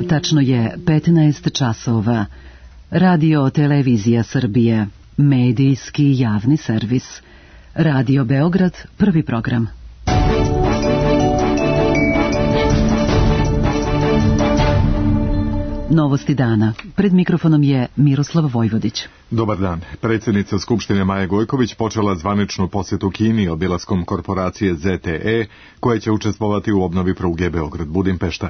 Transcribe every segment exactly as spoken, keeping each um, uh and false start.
Tačno je petnaest časova. Radio Televizija Srbije, medijski javni servis. Radio Beograd, prvi program. Novosti dana. Pred mikrofonom je Miroslav Vojvodić. Dobar dan. Predsjednica Skupštine Maja Gojković počela zvaničnu posjetu Kini obilaskom korporacije Z T E, koja će učestvovati u obnovi pruge Beograd-Budimpešta.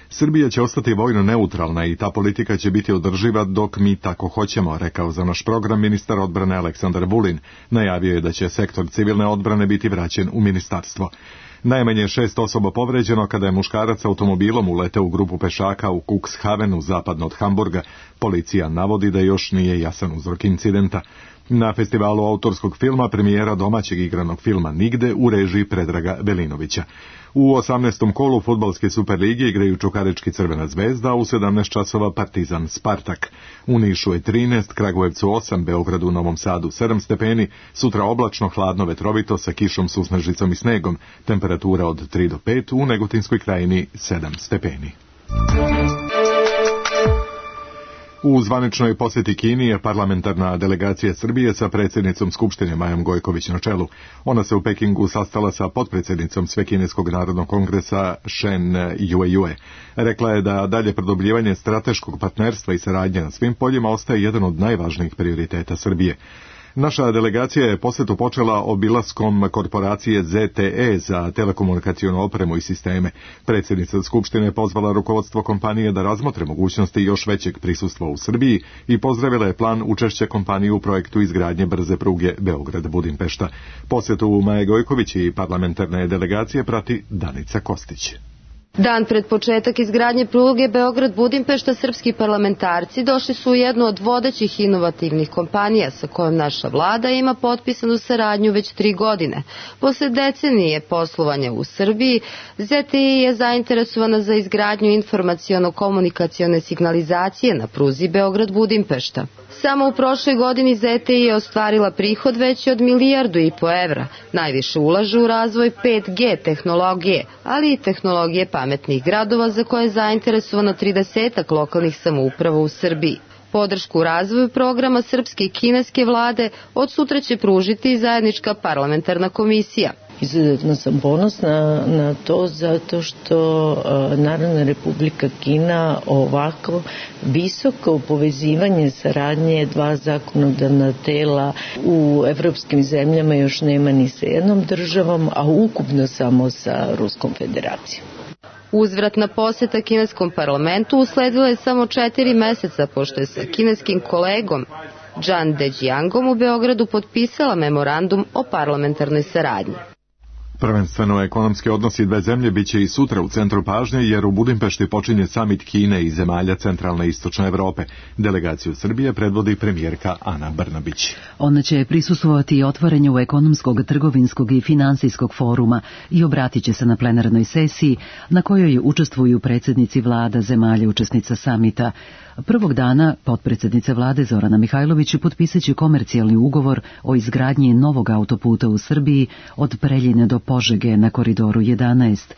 Srbija će ostati vojno neutralna i ta politika će biti održiva dok mi tako hoćemo, rekao za naš program ministar odbrane Aleksandar Vulin. Najavio je da će sektor civilne odbrane biti vraćen u ministarstvo. Najmanje šest osoba povređeno kada je muškarac automobilom uleteo u grupu pešaka u Cuxhavenu, zapadno od Hamburga. Policija navodi da još nije jasan uzrok incidenta. Na festivalu autorskog filma premijera domaćeg igranog filma Nigde u režiji Predraga Velinovića. U osamnaestom kolu fudbalske Superlige igraju Čukarički Crvena zvezda, a u sedamnaest časova Partizan Spartak. U Nišu je trinaest, Kragujevcu osam, Beogradu, Novom Sadu sedam stepeni, sutra oblačno, hladno, vetrovito sa kišom, susnežicom i snegom, temperatura od tri do pet, u Negotinskoj krajini sedam stepeni. U zvaničnoj posjeti Kini je parlamentarna delegacija Srbije sa predsjednicom Skupštine Majom Gojković na čelu. Ona se u Pekingu sastala sa potpredsjednicom Svekineskog narodnog kongresa Shen Yue-Yue. Rekla je da dalje produbljivanje strateškog partnerstva i saradnje na svim poljima ostaje jedan od najvažnijih prioriteta Srbije. Naša delegacija je posjetu počela obilaskom korporacije Z T E za telekomunikacionu opremu i sisteme. Predsjednica Skupštine je pozvala rukovodstvo kompanije da razmotre mogućnosti još većeg prisustva u Srbiji i pozdravila je plan učešća kompanije u projektu izgradnje brze pruge Beograd-Budimpešta. Posjetu Maje Gojković i parlamentarne delegacije prati Danica Kostić. Dan pred početak izgradnje pruge Beograd-Budimpešta srpski parlamentarci došli su u jednu od vodećih inovativnih kompanija sa kojom naša vlada ima potpisanu saradnju već tri godine. Posle decenije poslovanja u Srbiji, Z T E je zainteresovana za izgradnju informaciono-komunikacione signalizacije na pruzi Beograd-Budimpešta. Samo u prošloj godini Z T E je ostvarila prihod veći od milijardu i po evra. Najviše ulaže u razvoj pet G tehnologije, ali i tehnologije pametnih gradova za koje je zainteresovano tridesetak lokalnih samouprava u Srbiji. Podršku u razvoju programa srpske i kineske vlade od sutra će pružiti zajednička parlamentarna komisija. Izuzetno sam ponosna na to zato što Narodna Republika Kina ovako visoko povezivanje saradnje dva zakonodavna tela u evropskim zemljama još nema ni sa jednom državom, a ukupno samo sa Ruskom federacijom. Uzvratna posjeta kineskom parlamentu usledila je samo četiri meseca pošto je sa kineskim kolegom Zhang Dejiangom u Beogradu potpisala memorandum o parlamentarnoj saradnji. Prvenstveno ekonomski odnosi dve zemlje biće i sutra u centru pažnje, jer u Budimpešti počinje samit Kine i zemalja centralne i istočne Evrope. Delegaciju Srbije predvodi premijerka Ana Brnabić. Ona će prisustvovati otvorenju ekonomskog, trgovinskog i finansijskog foruma i obratit će se na plenarnoj sesiji na kojoj učestvuju predsjednici vlada zemalja učesnica samita. Prvog dana potpredsjednice vlade Zorana Mihajlović potpisat će komercijalni ugovor o izgradnji novog autoputa u Srbiji od Preljine do Požege na koridoru jedanaest.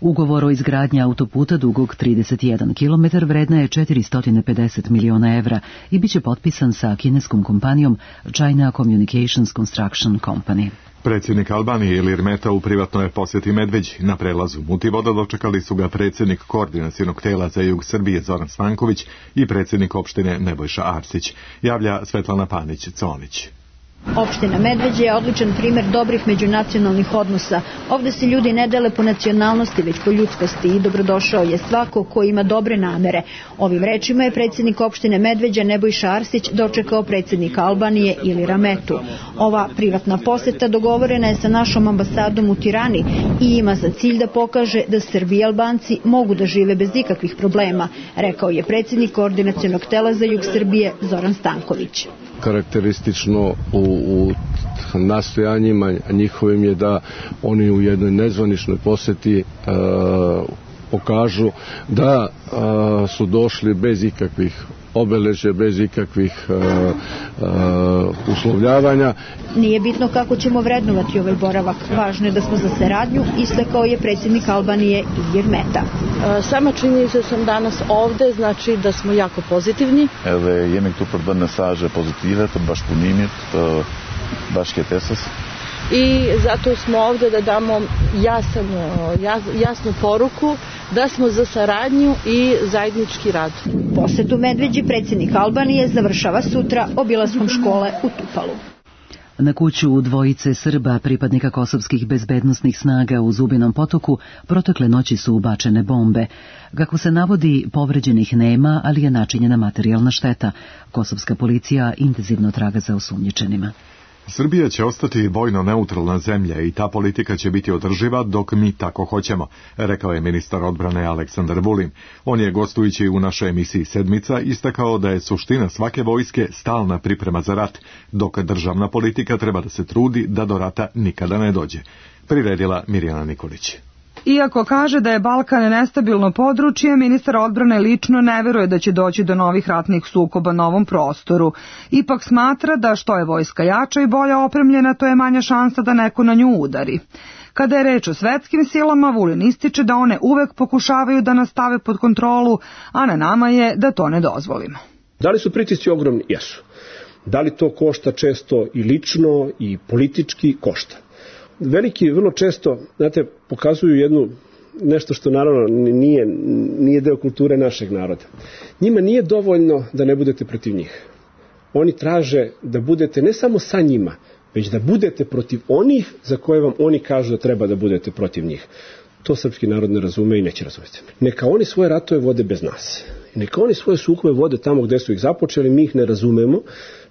Ugovor o izgradnji autoputa dugog trideset jedan kilometar vredna je četiristo pedeset miliona evra i bit će potpisan sa kineskom kompanijom China Communications Construction Company. Predsjednik Albanije Ilir Meta u privatnoj posjeti Medveđi. Na prelazu Mutivoda dočekali su ga predsjednik koordinacionog tela za jug Srbije Zoran Stanković i predsjednik opštine Nebojša Arsić. Javlja Svetlana Panić-Conić. Opština Medveđa je odličan primjer dobrih međunacionalnih odnosa. Ovde se ljudi ne dele po nacionalnosti, već po ljudskosti i dobrodošao je svako ko ima dobre namere. Ovim rečima je predsjednik opštine Medveđa Nebojša Arsić dočekao predsjednika Albanije Ilira Metu. Ova privatna poseta dogovorena je sa našom ambasadom u Tirani i ima za cilj da pokaže da Srbi i Albanci mogu da žive bez ikakvih problema, rekao je predsjednik koordinacionog tela za jug Srbije Zoran Stanković. Karakteristično u, u nastojanjima njihovim je da oni u jednoj nezvaničnoj posjeti uh, pokažu da a, su došli bez ikakvih obeležja, bez ikakvih a, a, uslovljavanja. Nije bitno kako ćemo vrednovati ovaj boravak, važno je da smo za saradnju, istakao je predsjednik Albanije Ilir Meta. Sama činjenica sam danas ovde, znači da smo jako pozitivni. Edhe jemi këtu për të bërë mesazhe pozitive të bashkëpunimit, të bashkëtesës. I zato smo ovde da damo jasan, jas, jasnu poruku da smo za saradnju i zajednički rad. Posetu Medveđi predsjednik Albanije završava sutra obilaskom škole u Tupalu. Na kuću dvojice Srba, pripadnika kosovskih bezbednosnih snaga u Zubinom Potoku, protekle noći su ubačene bombe. Kako se navodi, povređenih nema, ali je načinjena materijalna šteta. Kosovska policija intenzivno traga za osumnjičenima. Srbija će ostati vojno neutralna zemlja i ta politika će biti održiva dok mi tako hoćemo, rekao je ministar odbrane Aleksandar Vulin. On je, gostujući u našoj emisiji Sedmica, istakao da je suština svake vojske stalna priprema za rat, dok državna politika treba da se trudi da do rata nikada ne dođe. Priredila Mirjana Nikolić. Iako kaže da je Balkan nestabilno područje, ministar odbrane lično ne veruje da će doći do novih ratnih sukoba na ovom prostoru. Ipak smatra da što je vojska jača i bolje opremljena, to je manja šansa da neko na nju udari. Kada je reč o svetskim silama, Vulin ističe da one uvek pokušavaju da nas stave pod kontrolu, a na nama je da to ne dozvolimo. Da li su pritisci ogromni? Jesu. Da li to košta često i lično i politički? Košta. Veliki vrlo često, znate, pokazuju jednu nešto što naravno nije, nije deo kulture našeg naroda. Njima nije dovoljno da ne budete protiv njih. Oni traže da budete ne samo sa njima, već da budete protiv onih za koje vam oni kažu da treba da budete protiv njih. To srpski narod ne razume i neće razumjeti. Neka oni svoje ratove vode bez nas. Neka oni svoje sukobe vode tamo gde su ih započeli, mi ih ne razumemo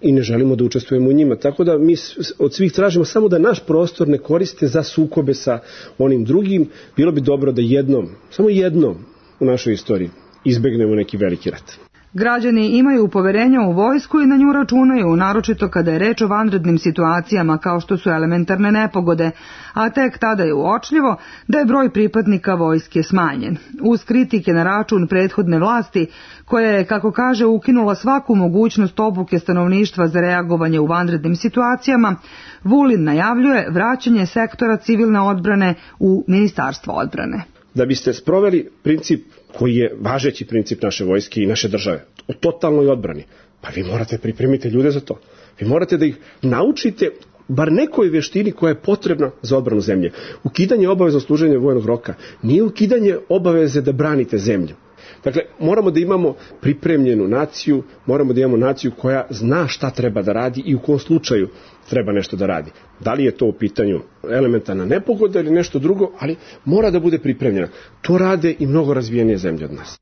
i ne želimo da učestvujemo u njima. Tako da mi od svih tražimo samo da naš prostor ne koriste za sukobe sa onim drugim. Bilo bi dobro da jednom, samo jednom u našoj istoriji izbegnemo neki veliki rat. Građani imaju poverenja u vojsku i na nju računaju, naročito kada je reč o vanrednim situacijama kao što su elementarne nepogode, a tek tada je uočljivo da je broj pripadnika vojske smanjen. Uz kritike na račun prethodne vlasti, koja je, kako kaže, ukinula svaku mogućnost obuke stanovništva za reagovanje u vanrednim situacijama, Vulin najavljuje vraćanje sektora civilne odbrane u Ministarstvo odbrane. Da biste sproveli princip koji je važeći princip naše vojske i naše države, o totalnoj odbrani, pa vi morate pripremiti ljude za to. Vi morate da ih naučite bar nekoj veštini koja je potrebna za odbranu zemlje. Ukidanje obaveza služenja vojnog roka nije ukidanje obaveze da branite zemlju. Dakle, moramo da imamo pripremljenu naciju, moramo da imamo naciju koja zna šta treba da radi i u kom slučaju treba nešto da radi. Da li je to u pitanju elementarna nepogoda ili nešto drugo, ali mora da bude pripremljena. To rade i mnogo razvijenije zemlje od nas.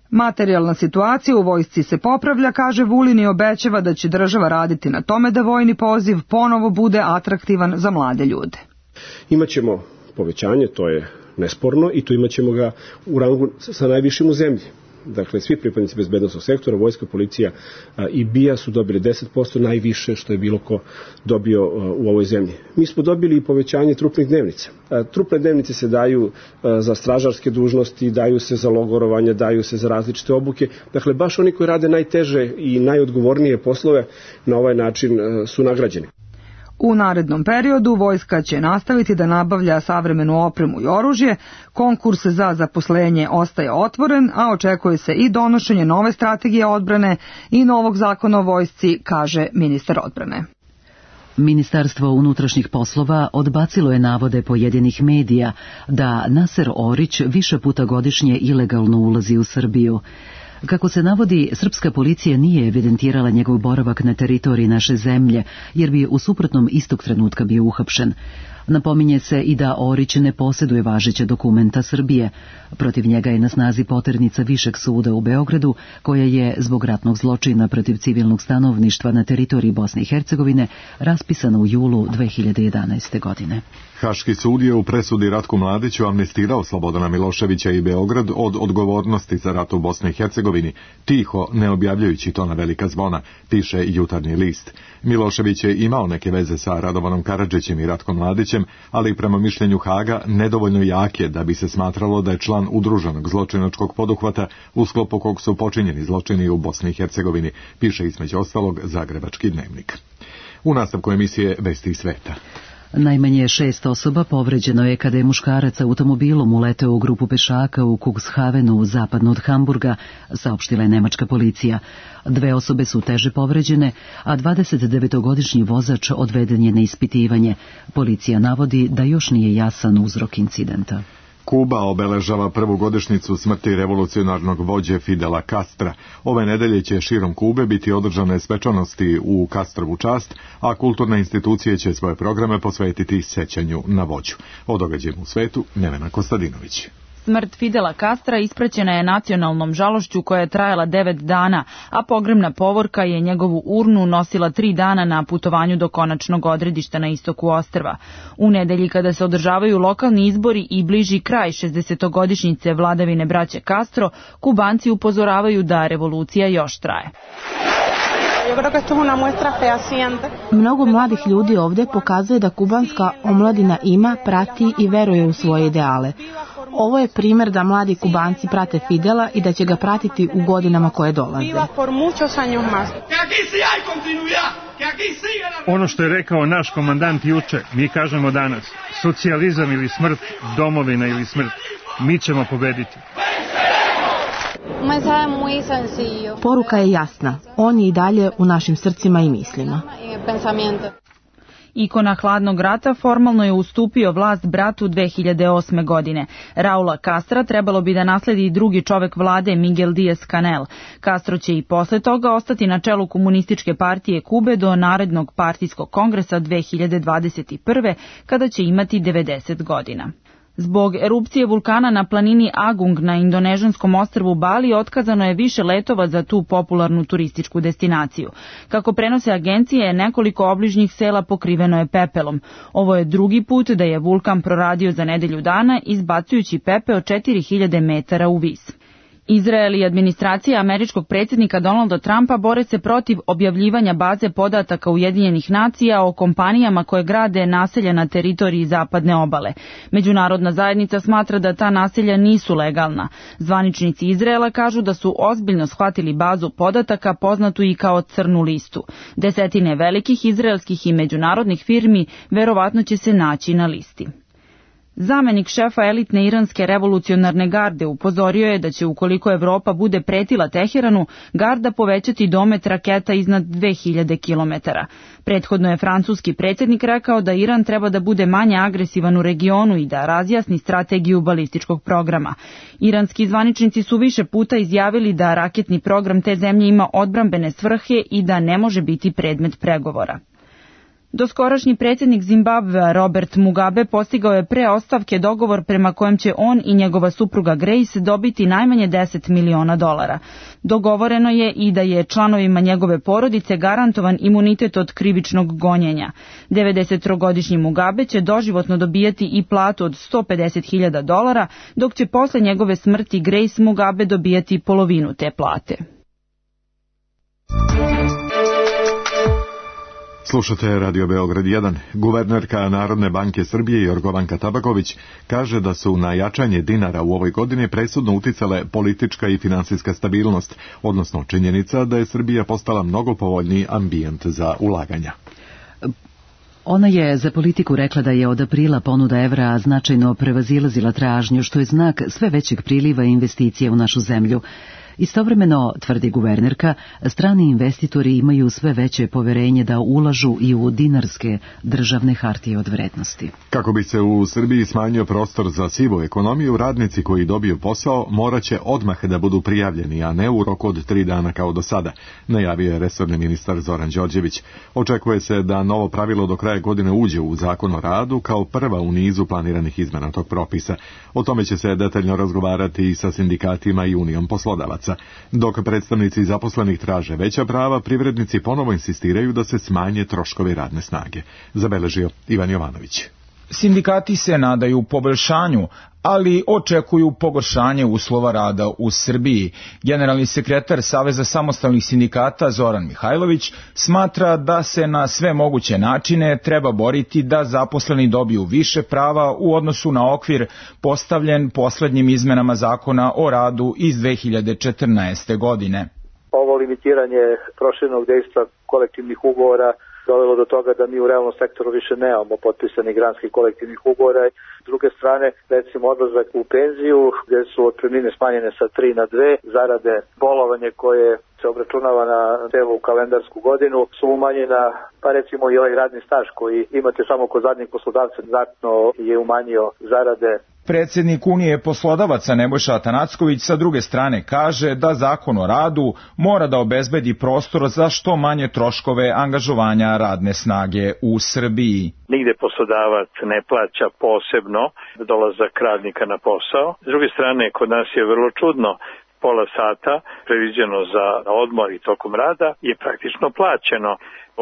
Materijalna situacija u vojsci se popravlja, kaže Vulin, i obećava da će država raditi na tome da vojni poziv ponovo bude atraktivan za mlade ljude. Imaćemo povećanje, to je nesporno, i to imaćemo ga u rangu sa najvišim u zemlji. Dakle, svi pripadnici bezbednosnog sektora, vojska, policija i B I A su dobili deset posto, najviše što je bilo ko dobio u ovoj zemlji. Mi smo dobili i povećanje trupnih dnevnica. Trupne dnevnice se daju za stražarske dužnosti, daju se za logorovanje, daju se za različite obuke. Dakle, baš oni koji rade najteže i najodgovornije poslove na ovaj način su nagrađeni. U narednom periodu vojska će nastaviti da nabavlja savremenu opremu i oružje, konkurs za zaposlenje ostaje otvoren, a očekuje se i donošenje nove strategije odbrane i novog zakona o vojsci, kaže ministar odbrane. Ministarstvo unutrašnjih poslova odbacilo je navode pojedinih medija da Naser Orić više puta godišnje ilegalno ulazi u Srbiju. Kako se navodi, srpska policija nije evidentirala njegov boravak na teritoriji naše zemlje, jer bi u suprotnom istog trenutka bio uhapšen. Napominje se i da Orić ne posjeduje važeće dokumenta Srbije. Protiv njega je na snazi poternica Višeg suda u Beogradu, koja je zbog ratnog zločina protiv civilnog stanovništva na teritoriji Bosne i Hercegovine raspisana u julu dve hiljade jedanaeste. godine. Haški sud je u presudi Ratku Mladiću amnestirao Slobodana Miloševića i Beograd od odgovornosti za rat u Bosni i Hercegovini, tiho, ne objavljajući to na velika zvona, piše Jutarnji list. Milošević je imao neke veze sa Radovanom Karadžićem i Ratkom Mladićem, Tadićem, ali i prema mišljenju Haga nedovoljno jake da bi se smatralo da je član udruženog zločinačkog poduhvata u sklopu kog su počinjeni zločini u Bosni i Hercegovini, piše između ostalog Zagrebački dnevnik. U nastavku emisije Vesti iz sveta. Najmanje šest osoba povređeno je kada je muškarac automobilom uleteo u grupu pešaka u Cuxhavenu, zapadno od Hamburga, saopštila je nemačka policija. Dve osobe su teže povređene, a dvadesetdevetogodišnji vozač odveden je na ispitivanje. Policija navodi da još nije jasan uzrok incidenta. Kuba obeležava prvu godišnjicu smrti revolucionarnog vođe Fidela Castra. Ove nedelje će širom Kube biti održane svečanosti u Castrovu čast, a kulturne institucije će svoje programe posvetiti sećanju na vođu. O događajima u svetu Nevena Kostadinović. Smrt Fidela Castra ispraćena je nacionalnom žalošću koja je trajala devet dana, a pogrebna povorka je njegovu urnu nosila tri dana na putovanju do konačnog odredišta na istoku ostrva. U nedelji kada se održavaju lokalni izbori i bliži kraj šezdesetogodišnjice vladavine braće Castro, Kubanci upozoravaju da revolucija još traje. Mnogo mladih ljudi ovdje pokazuje da kubanska omladina ima, prati i veruje u svoje ideale. Ovo je primjer da mladi Kubanci prate Fidela i da će ga pratiti u godinama koje dolaze. Ono što je rekao naš komandant juče, mi kažemo danas. Socijalizam ili smrt, domovina ili smrt. Mi ćemo pobediti. Poruka je jasna. On je i dalje u našim srcima i mislima. Ikona hladnog rata formalno je ustupio vlast bratu dve hiljade osme. godine. Raula Castra trebalo bi da nasledi drugi čovek vlade Miguel Díaz-Canel. Castro će i posle toga ostati na čelu komunističke partije Kube do narednog partijskog kongresa dve hiljade dvadeset prve. kada će imati devedeset godina. Zbog erupcije vulkana na planini Agung na indonežanskom ostrvu Bali otkazano je više letova za tu popularnu turističku destinaciju. Kako prenose agencije, nekoliko obližnjih sela pokriveno je pepelom. Ovo je drugi put da je vulkan proradio za nedelju dana, izbacujući pepeo četiri hiljade metara u vis. Izrael i administracija američkog predsjednika Donalda Trumpa bore se protiv objavljivanja baze podataka Ujedinjenih nacija o kompanijama koje grade naselja na teritoriji zapadne obale. Međunarodna zajednica smatra da ta naselja nisu legalna. Zvaničnici Izraela kažu da su ozbiljno shvatili bazu podataka poznatu i kao crnu listu. Desetine velikih izraelskih i međunarodnih firmi verovatno će se naći na listi. Zamenik šefa elitne iranske revolucionarne garde upozorio je da će, ukoliko Evropa bude pretila Teheranu, garda povećati domet raketa iznad dve hiljade kilometara. Prethodno je francuski predsjednik rekao da Iran treba da bude manje agresivan u regionu i da razjasni strategiju balističkog programa. Iranski zvaničnici su više puta izjavili da raketni program te zemlje ima odbrambene svrhe i da ne može biti predmet pregovora. Doskorašnji predsjednik Zimbabvea Robert Mugabe postigao je pre ostavke dogovor prema kojem će on i njegova supruga Grace dobiti najmanje deset miliona dolara. Dogovoreno je i da je članovima njegove porodice garantovan imunitet od krivičnog gonjenja. devedesettrogodišnji Mugabe će doživotno dobijati i platu od sto pedeset hiljada dolara, dok će posle njegove smrti Grace Mugabe dobijati polovinu te plate. Slušate Radio Beograd jedan. Guvernerka Narodne banke Srbije Jorgovanka Tabaković kaže da su na jačanje dinara u ovoj godini presudno uticale politička i finansijska stabilnost, odnosno činjenica da je Srbija postala mnogo povoljniji ambijent za ulaganja. Ona je za Politiku rekla da je od aprila ponuda evra značajno prevazilazila tražnju, što je znak sve većeg priliva investicija u našu zemlju. Istovremeno, tvrdi guvernerka, strani investitori imaju sve veće poverenje da ulažu i u dinarske državne hartije od vrednosti. Kako bi se u Srbiji smanjio prostor za sivu ekonomiju, radnici koji dobiju posao moraće odmah da budu prijavljeni, a ne u roku od tri dana kao do sada, najavio je resorni ministar Zoran Đorđević. Očekuje se da novo pravilo do kraja godine uđe u Zakon o radu kao prva u nizu planiranih izmena tog propisa. O tome će se detaljno razgovarati i sa sindikatima i Unijom poslodavaca. Dok predstavnici zaposlenih traže veća prava, privrednici ponovo insistiraju da se smanje troškovi radne snage. Zabeležio Ivan Jovanović. Sindikati se nadaju poboljšanju, ali očekuju pogoršanje uslova rada u Srbiji. Generalni sekretar Saveza samostalnih sindikata Zoran Mihajlović smatra da se na sve moguće načine treba boriti da zaposleni dobiju više prava u odnosu na okvir postavljen poslednjim izmenama zakona o radu iz dve hiljade četrnaeste. godine. Ovo limitiranje proširenog dejstva kolektivnih ugovora dovelo do toga da mi u realnom sektoru više nemamo potpisanih granskih kolektivnih ugovora. S druge strane, recimo odlazak u penziju, gde su otpremnine smanjene sa tri na dve, zarade bolovanje koje se obračunava na celu kalendarsku godinu su umanjena, pa recimo i ovaj radni staž koji imate samo kod zadnjeg poslodavca znatno je umanjio zarade. Predsjednik Unije poslodavaca Nebojša Atanacković sa druge strane kaže da zakon o radu mora da obezbedi prostor za što manje troškove angažovanja radne snage u Srbiji. Nigde poslodavac ne plaća posebno dolazak radnika na posao. S druge strane, kod nas je vrlo čudno, pola sata previđeno za odmor i tokom rada je praktično plaćeno.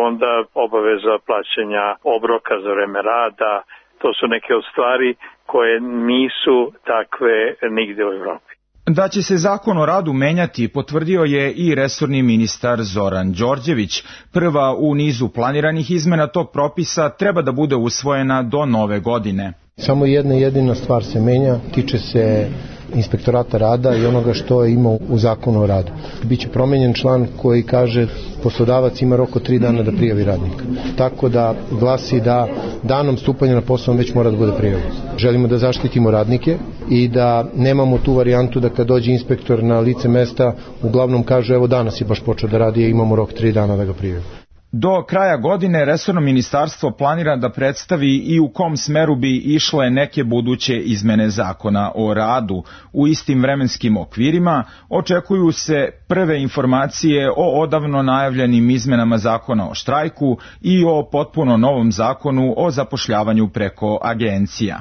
Onda obaveza plaćanja obroka za vreme rada, to su neke od stvari koje nisu takve nigde u Evropi. Da će se zakon o radu menjati potvrdio je i resorni ministar Zoran Đorđević. Prva u nizu planiranih izmena tog propisa treba da bude usvojena do nove godine. Samo jedna jedina stvar se menja, tiče se inspektorata rada i onoga što je imao u zakonu o radu. Biće promenjen član koji kaže poslodavac ima rok od tri dana da prijavi radnika. Tako da glasi da danom stupanja na posao već mora da bude prijavljen. Želimo da zaštitimo radnike i da nemamo tu varijantu da kad dođe inspektor na lice mesta uglavnom kaže evo danas je baš počeo da radi, imamo rok tri dana da ga prijavi. Do kraja godine resorno ministarstvo planira da predstavi i u kom smeru bi išle neke buduće izmene zakona o radu. U istim vremenskim okvirima očekuju se prve informacije o odavno najavljenim izmenama zakona o štrajku i o potpuno novom zakonu o zapošljavanju preko agencija.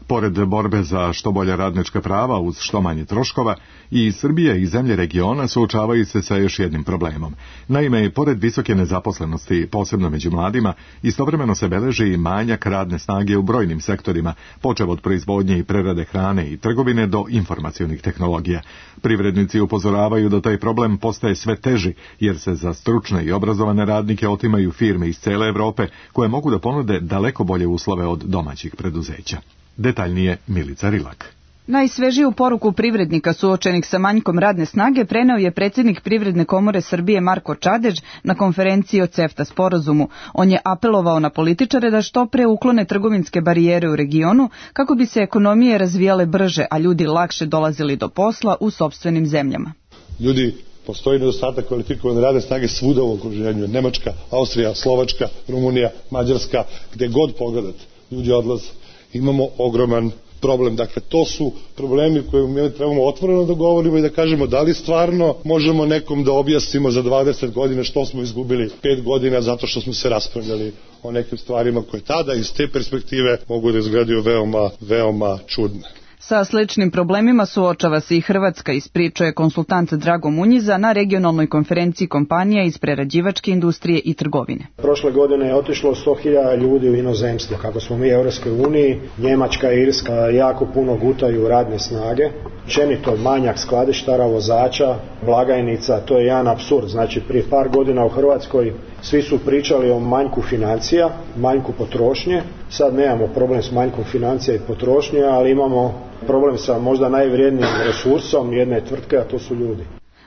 Pored borbe za što bolja radnička prava uz što manje troškova, i Srbija i zemlje regiona suočavaju se sa još jednim problemom. Naime, pored visoke nezaposlenosti, posebno među mladima, istovremeno se beleži i manjak radne snage u brojnim sektorima, počev od proizvodnje i prerade hrane i trgovine do informacionih tehnologija. Privrednici upozoravaju da taj problem postaje sve teži, jer se za stručne i obrazovane radnike otimaju firme iz cele Evrope, koje mogu da ponude daleko bolje uslove od domaćih preduzeća. Detaljnije Milica Rilak. Najsvežiju poruku privrednika suočenih sa manjkom radne snage preneo je predsjednik Privredne komore Srbije Marko Čadež na konferenciji o CEFTA sporazumu. On je apelovao na političare da što pre uklone trgovinske barijere u regionu kako bi se ekonomije razvijale brže, a ljudi lakše dolazili do posla u sopstvenim zemljama. Ljudi, postoji nedostatak kvalifikovane radne snage svuda u okruženju. Nemačka, Austrija, Slovačka, Rumunija, Mađarska, gde god pogledate, ljudi odlaze. Imamo ogroman problem. Dakle, to su problemi koje mi trebamo otvoreno da govorimo i da kažemo da li stvarno možemo nekom da objasnimo za dvadeset godina što smo izgubili pet godina zato što smo se raspravljali o nekim stvarima koje tada iz te perspektive mogu da izgledaju veoma, veoma čudne. Sa sličnim problemima suočava se i Hrvatska, ispričao je konsultant Drago Munjiza na regionalnoj konferenciji kompanija iz prerađivačke industrije i trgovine. Prošle godine je otišlo sto hiljada ljudi u inozemstvo. Kako smo mi u Europskoj uniji, Njemačka i Irska jako puno gutaju radne snage. Općenito manjak skladištara, vozača, blagajnica, to je jedan apsurd. Znači prije par godina u Hrvatskoj svi su pričali o manjku financija, manjku potrošnje. Sad nemamo problem s manjkom financija i potrošnje, ali imamo problem sa možda najvrijednijim resursom jedne tvrtke, a to su ljudi.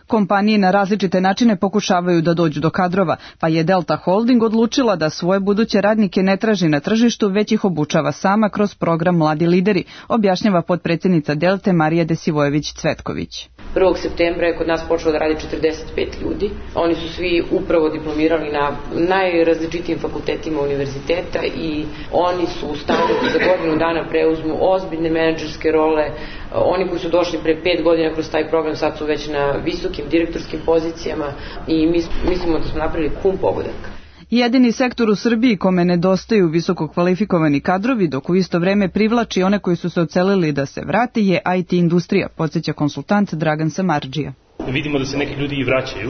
Kompanije na različite načine pokušavaju da dođu do kadrova, pa je Delta Holding odlučila da svoje buduće radnike ne traži na tržištu, već ih obučava sama kroz program Mladi lideri, objašnjava potpredsjednica Delte Marija Desivojević-Cvetković. prvog septembra je kod nas počelo da radi četrdeset pet ljudi. Oni su svi upravo diplomirali na najrazličitijim fakultetima univerziteta i oni su u stanju da za godinu dana preuzmu ozbiljne menadžerske role. Oni koji su došli pre pet godina kroz taj program sad su već na visokim direktorskim pozicijama i mi mislimo da smo napravili pun pogodak. Jedini sektor u Srbiji kome nedostaju visoko kvalifikovani kadrovi, dok u isto vreme privlači one koji su se ocelili da se vrate, je I T industrija, podsjeća konsultant Dragan Samardžija. Vidimo da se neki ljudi i vraćaju,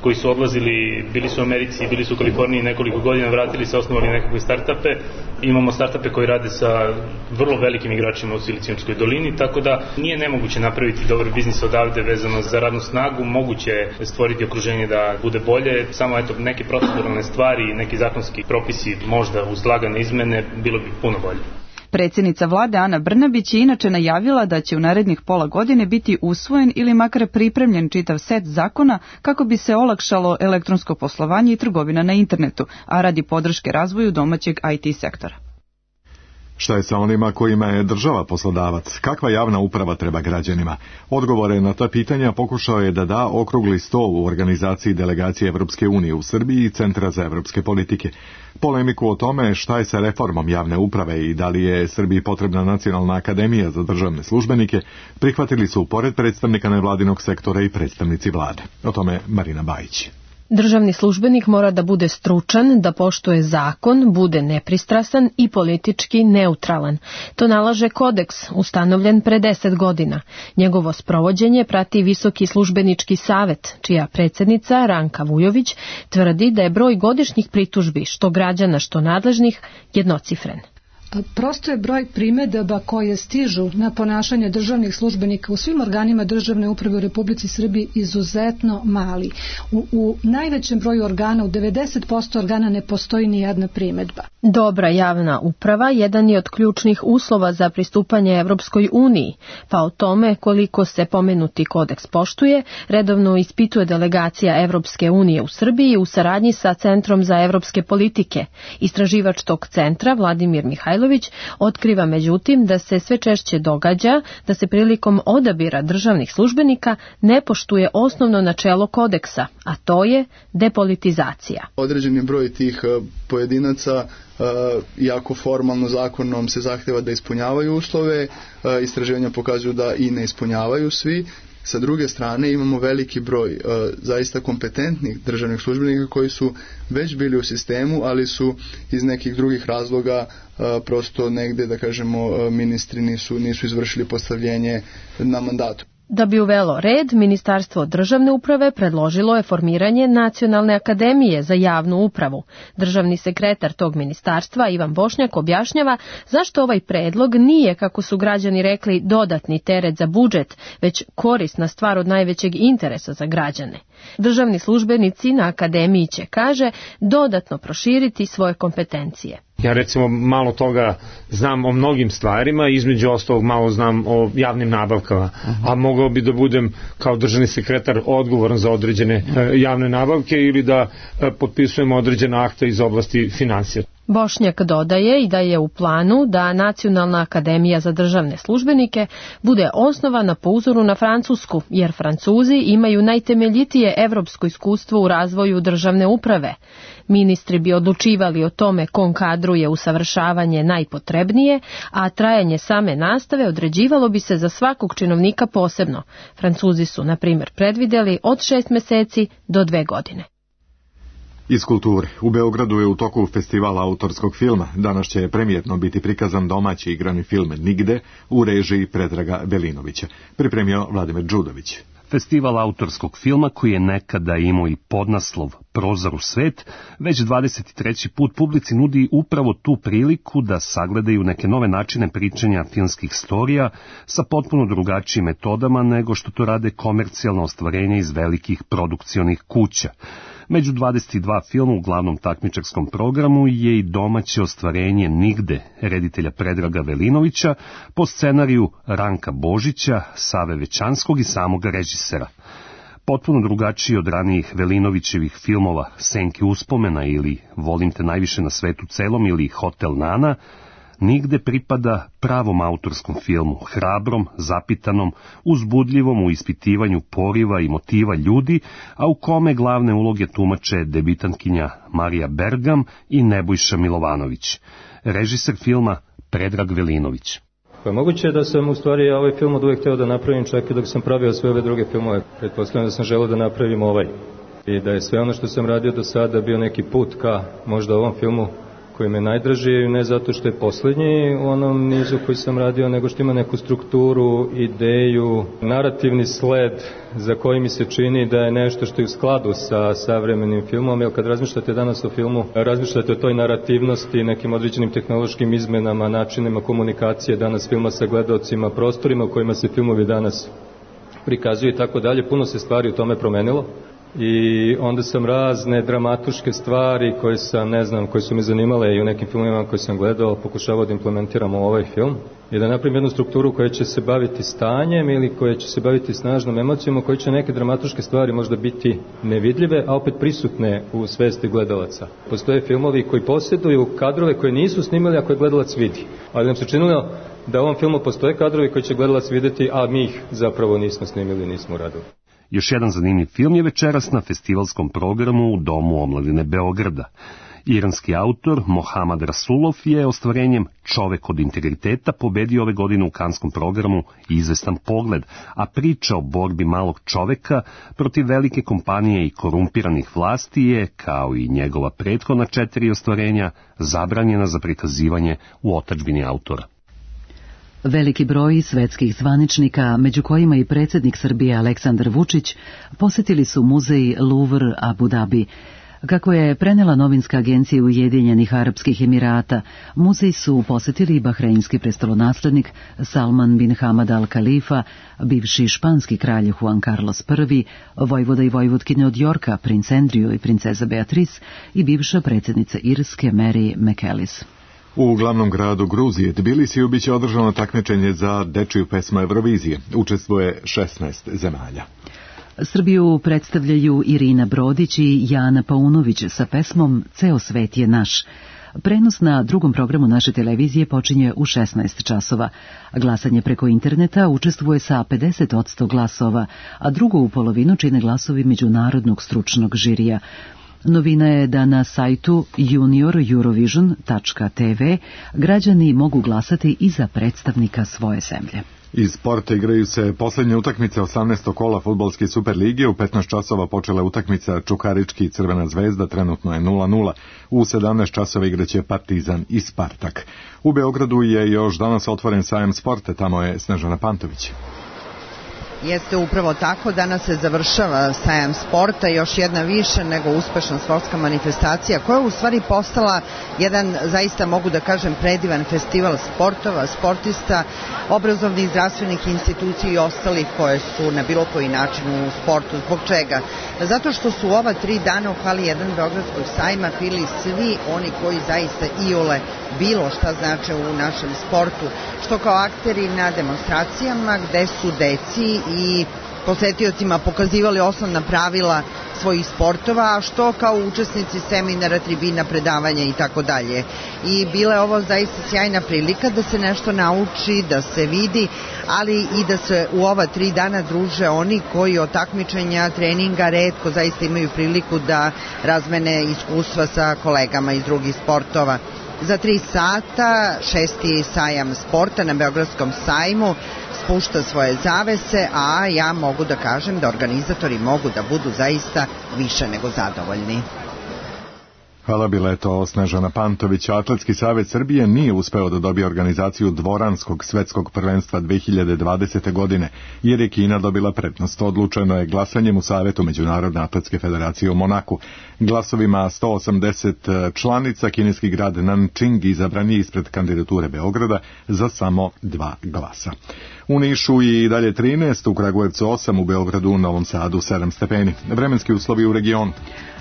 koji su odlazili, bili su u Americi, bili su u Kaliforniji nekoliko godina, vratili se, osnovali nekakve startupe. Imamo startupe koji rade sa vrlo velikim igračima u Siliciumskoj dolini, tako da nije nemoguće napraviti dobar biznis odavde vezano za radnu snagu, moguće je stvoriti okruženje da bude bolje, samo eto neke proceduralne stvari, neki zakonski propisi možda uz lagane izmene bilo bi puno bolje. Predsjednica vlade Ana Brnabić je inače najavila da će u narednih pola godine biti usvojen ili makar pripremljen čitav set zakona kako bi se olakšalo elektronsko poslovanje i trgovina na internetu, a radi podrške razvoju domaćeg I T sektora. Šta je sa onima kojima je država poslodavac? Kakva javna uprava treba građanima? Odgovore na ta pitanja pokušao je da da okrugli stol u organizaciji delegacije Evropske unije u Srbiji i Centra za evropske politike. Polemiku o tome šta je sa reformom javne uprave i da li je Srbiji potrebna nacionalna akademija za državne službenike prihvatili su pored predstavnika nevladinog sektora i predstavnici vlade. O tome Marina Bajić. Državni službenik mora da bude stručan, da poštuje zakon, bude nepristrasan i politički neutralan. To nalaže kodeks, ustanovljen pre deset godina. Njegovo sprovođenje prati Visoki službenički savet, čija predsjednica Ranka Vujović tvrdi da je broj godišnjih pritužbi, što građana, što nadležnih, jednocifren. Prosto je broj primedaba koje stižu na ponašanje državnih službenika u svim organima državne uprave u Republici Srbiji izuzetno mali. U, u najvećem broju organa, u devedeset posto organa ne postoji ni jedna primedba. Dobra javna uprava jedan je od ključnih uslova za pristupanje Evropskoj uniji, pa o tome koliko se pomenuti kodeks poštuje, redovno ispituje delegacija Evropske unije u Srbiji u saradnji sa Centrom za evropske politike. Istraživač tog centra, Vladimir Mihajlović, otkriva međutim da se sve češće događa da se prilikom odabira državnih službenika ne poštuje osnovno načelo kodeksa, a to je depolitizacija. Određeni broj tih pojedinaca, iako formalno zakonom se zahteva da ispunjavaju uslove, istraživanja pokazuju da i ne ispunjavaju svi. Sa druge strane imamo veliki broj e, zaista kompetentnih državnih službenika koji su već bili u sistemu, ali su iz nekih drugih razloga e, prosto negde, da kažemo, ministri nisu, nisu izvršili postavljenje na mandatu. Da bi uvelo red, Ministarstvo državne uprave predložilo je formiranje Nacionalne akademije za javnu upravu. Državni sekretar tog ministarstva, Ivan Bošnjak, objašnjava zašto ovaj predlog nije, kako su građani rekli, dodatni teret za budžet, već korisna stvar od najvećeg interesa za građane. Državni službenici na akademiji će, kaže, dodatno proširiti svoje kompetencije. Ja recimo malo toga znam o mnogim stvarima, između ostalog malo znam o javnim nabavkama, a mogao bi da budem kao državni sekretar odgovoran za određene javne nabavke ili da potpisujem određene akte iz oblasti financija. Bošnjak dodaje i da je u planu da Nacionalna akademija za državne službenike bude osnovana po uzoru na Francusku, jer Francuzi imaju najtemeljitije evropsko iskustvo u razvoju državne uprave. Ministri bi odlučivali o tome kom kadru je usavršavanje najpotrebnije, a trajanje same nastave određivalo bi se za svakog činovnika posebno. Francuzi su, na primjer, predvideli od šest meseci do dve godine. Iz kulture. U Beogradu je u toku festivala autorskog filma. Danas će premijerno biti prikazan domaći igrani film Nigde u režiji Predraga Velinovića. Pripremio Vladimir Đudović. Festival autorskog filma, koji je nekada imao i podnaslov Prozor u svet, već dvadeset treći put publici nudi upravo tu priliku da sagledaju neke nove načine pričanja filmskih storija sa potpuno drugačijim metodama nego što to rade komercijalno ostvarenje iz velikih produkcionih kuća. Među dvadeset dva filma u glavnom takmičarskom programu je i domaće ostvarenje Nigde, reditelja Predraga Velinovića, po scenariju Ranka Božića, Save Većanskog i samoga režisera. Potpuno drugačiji od ranijih Velinovićevih filmova Senke uspomena ili Volim te najviše na svetu celom ili Hotel Nana, Nigde pripada pravom autorskom filmu, hrabrom, zapitanom, uzbudljivom u ispitivanju poriva i motiva ljudi, a u kome glavne uloge tumače debitantkinja Marija Bergam i Nebojša Milovanović. Režiser filma Predrag Velinović. Pa moguće je da sam u stvari ovaj film od uvek hteo da napravim čak i dok sam pravio sve ove druge filmove. Pretpostavljam da sam želeo da napravim ovaj. I da je sve ono što sam radio do sada bio neki put ka možda ovom filmu koji me najdraži, ne zato što je poslednji u onom nizu koji sam radio, nego što ima neku strukturu, ideju, narativni sled za koji mi se čini da je nešto što je u skladu sa savremenim filmom, jer kad razmišljate danas o filmu, razmišljate o toj narativnosti, nekim određenim tehnološkim izmenama, načinima komunikacije danas filma sa gledaocima, prostorima u kojima se filmovi danas prikazuju i tako dalje. Puno se stvari u tome promenilo. I onda sam razne dramatuške stvari koje sam, ne znam, koje su mi zanimale i u nekim filmovima koje sam gledao, pokušavao da implementiramo u ovaj film i da napravim jednu strukturu koja će se baviti stanjem ili koja će se baviti snažnom emocijom, koji će neke dramatuške stvari možda biti nevidljive, a opet prisutne u svesti gledalaca. Postoje filmovi koji posjeduju kadrove koje nisu snimali, a koje gledalac vidi. Ali nam se činilo da u ovom filmu postoje kadrovi koji će gledalac videti, a mi ih zapravo nismo snimili, nismo uradili. Još jedan zanimljiv film je večeras na festivalskom programu u Domu omladine Beograda. Iranski autor Mohammad Rasulov je ostvarenjem Čovek od integriteta pobedio ove godine u kanskom programu Izvestan pogled, a priča o borbi malog čoveka protiv velike kompanije i korumpiranih vlasti je, kao i njegova prethodna četiri ostvarenja, zabranjena za prikazivanje u otadžbini autora. Veliki broj svetskih zvaničnika, među kojima i predsjednik Srbije Aleksandar Vučić, posjetili su muzej Louvre Abu Dhabi. Kako je prenela novinska agencija Ujedinjenih Arapskih Emirata, muzej su posjetili bahreinski prestolonaslednik Salman bin Hamad Al Khalifa, bivši španski kralj Juan Carlos I, vojvoda i vojvodkinja od Yorka, princ Andrew i princeza Beatrice i bivša predsjednica Irske Mary McAllis. U glavnom gradu Gruzije, Tbilisiju, biće održano takmičenje za dečiju pesmu Eurovizije. Učestvuje šesnaest zemalja. Srbiju predstavljaju Irina Brodić i Jana Paunović sa pesmom Ceo svet je naš. Prenos na drugom programu naše televizije počinje u šesnaest časova. Glasanje preko interneta učestvuje sa pedeset posto glasova, a drugu polovinu čine glasovi međunarodnog stručnog žirija. Novina je da na sajtu junior eurovision tačka t v građani mogu glasati i za predstavnika svoje zemlje. Iz sporta igraju se posljednje utakmice osamnaestog kola fudbalske Superlige. U petnaest časova počela utakmica Čukarički i Crvena zvezda, trenutno je nula nula. U sedamnaest časova igraće Partizan i Spartak. U Beogradu je još danas otvoren sajam sporta, tamo je Snežana Pantović. Jeste upravo tako, danas se završava sajam sporta, još jedna više nego uspešna sportska manifestacija koja je u stvari postala jedan, zaista mogu da kažem, predivan festival sportova, sportista, obrazovnih, zdravstvenih institucija i ostalih koje su na bilo koji način u sportu. Zbog čega? Zato što su ova tri dana u hali jedan Beogradskog sajma pili svi oni koji zaista iole bilo šta znače u našem sportu, što kao akteri na demonstracijama gde su deci i posetiocima pokazivali osnovna pravila svojih sportova, a što kao učesnici seminara, tribina, predavanja i tako dalje. I bila je ovo zaista sjajna prilika da se nešto nauči, da se vidi, ali i da se u ova tri dana druže oni koji od takmičenja, treninga retko zaista imaju priliku da razmene iskustva sa kolegama iz drugih sportova. Za tri sata šesti sajam sporta na Beogradskom sajmu spušta svoje zavese, a ja mogu da kažem da organizatori mogu da budu zaista više nego zadovoljni. Hvala, bila je to Snežana Pantović. Atletski savez Srbije nije uspeo da dobije organizaciju dvoranskog svetskog prvenstva dve hiljade dvadesete. godine, jer je Kina dobila prednost. Odlučeno je glasanjem u Savetu Međunarodne atletske federacije u Monaku. Glasovima sto osamdeset članica kineski grad Nančing izabran je ispred kandidature Beograda za samo dva glasa. U Nišu i dalje trinaest, u Kragujevcu osam, u Beogradu, u Novom Sadu sedam stepeni. Vremenski uslovi u regionu.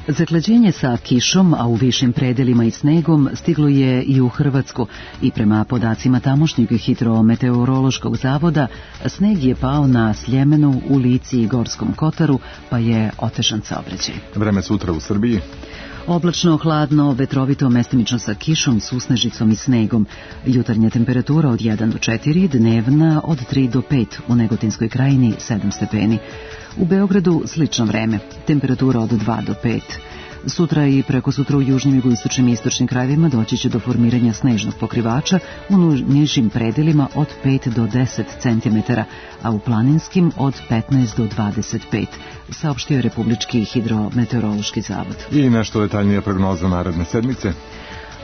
Zaklađenje sa kišom, a u višim predelima i snegom, stiglo je i u Hrvatsku i prema podacima tamošnjeg hidrometeorološkog zavoda, sneg je pao na Sljemenu, u Lici i Gorskom Kotaru, pa je otežan saobraćaj. Vreme sutra u Srbiji. Oblačno, hladno, vetrovito, mestimično sa kišom, susnežicom i snegom. Jutarnja temperatura od jedan do četiri, dnevna od tri do pet, u Negotinskoj krajini sedam stepeni. U Beogradu slično vreme, temperatura od dva do pet. Sutra i preko sutra u južnim, jugoistočnim i istočnim krajevima doći će do formiranja snežnog pokrivača u nižim predelima od pet do deset centimetara, a u planinskim od petnaest do dvadeset pet, saopštio je Republički hidrometeorološki zavod. I nešto detaljnije prognoza naredne sedmice.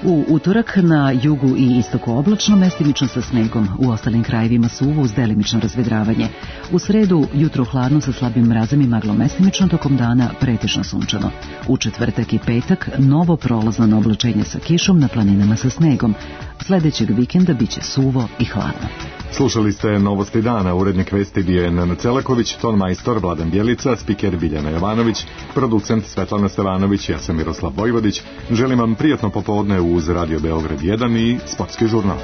U utorak na jugu i istoku oblačno, mestimično sa snegom, u ostalim krajevima suvo uz delimično razvedravanje. U sredu jutro hladno sa slabim mrazom i maglom, mestimično, tokom dana pretežno sunčano. U četvrtak i petak novo prolazno oblačenje sa kišom, na planinama sa snegom. Sledećeg vikenda biće suvo i hladno. Slušali ste Novosti dana, urednik vesti bio je Nenad Celaković, ton majstor Vladan Bjelica, spiker Biljana Jovanović, producent Svetlana Stevanović, ja sam Miroslav Vojvodić. Želim vam prijatno popodne uz Radio Beograd jedan i Sportski žurnal.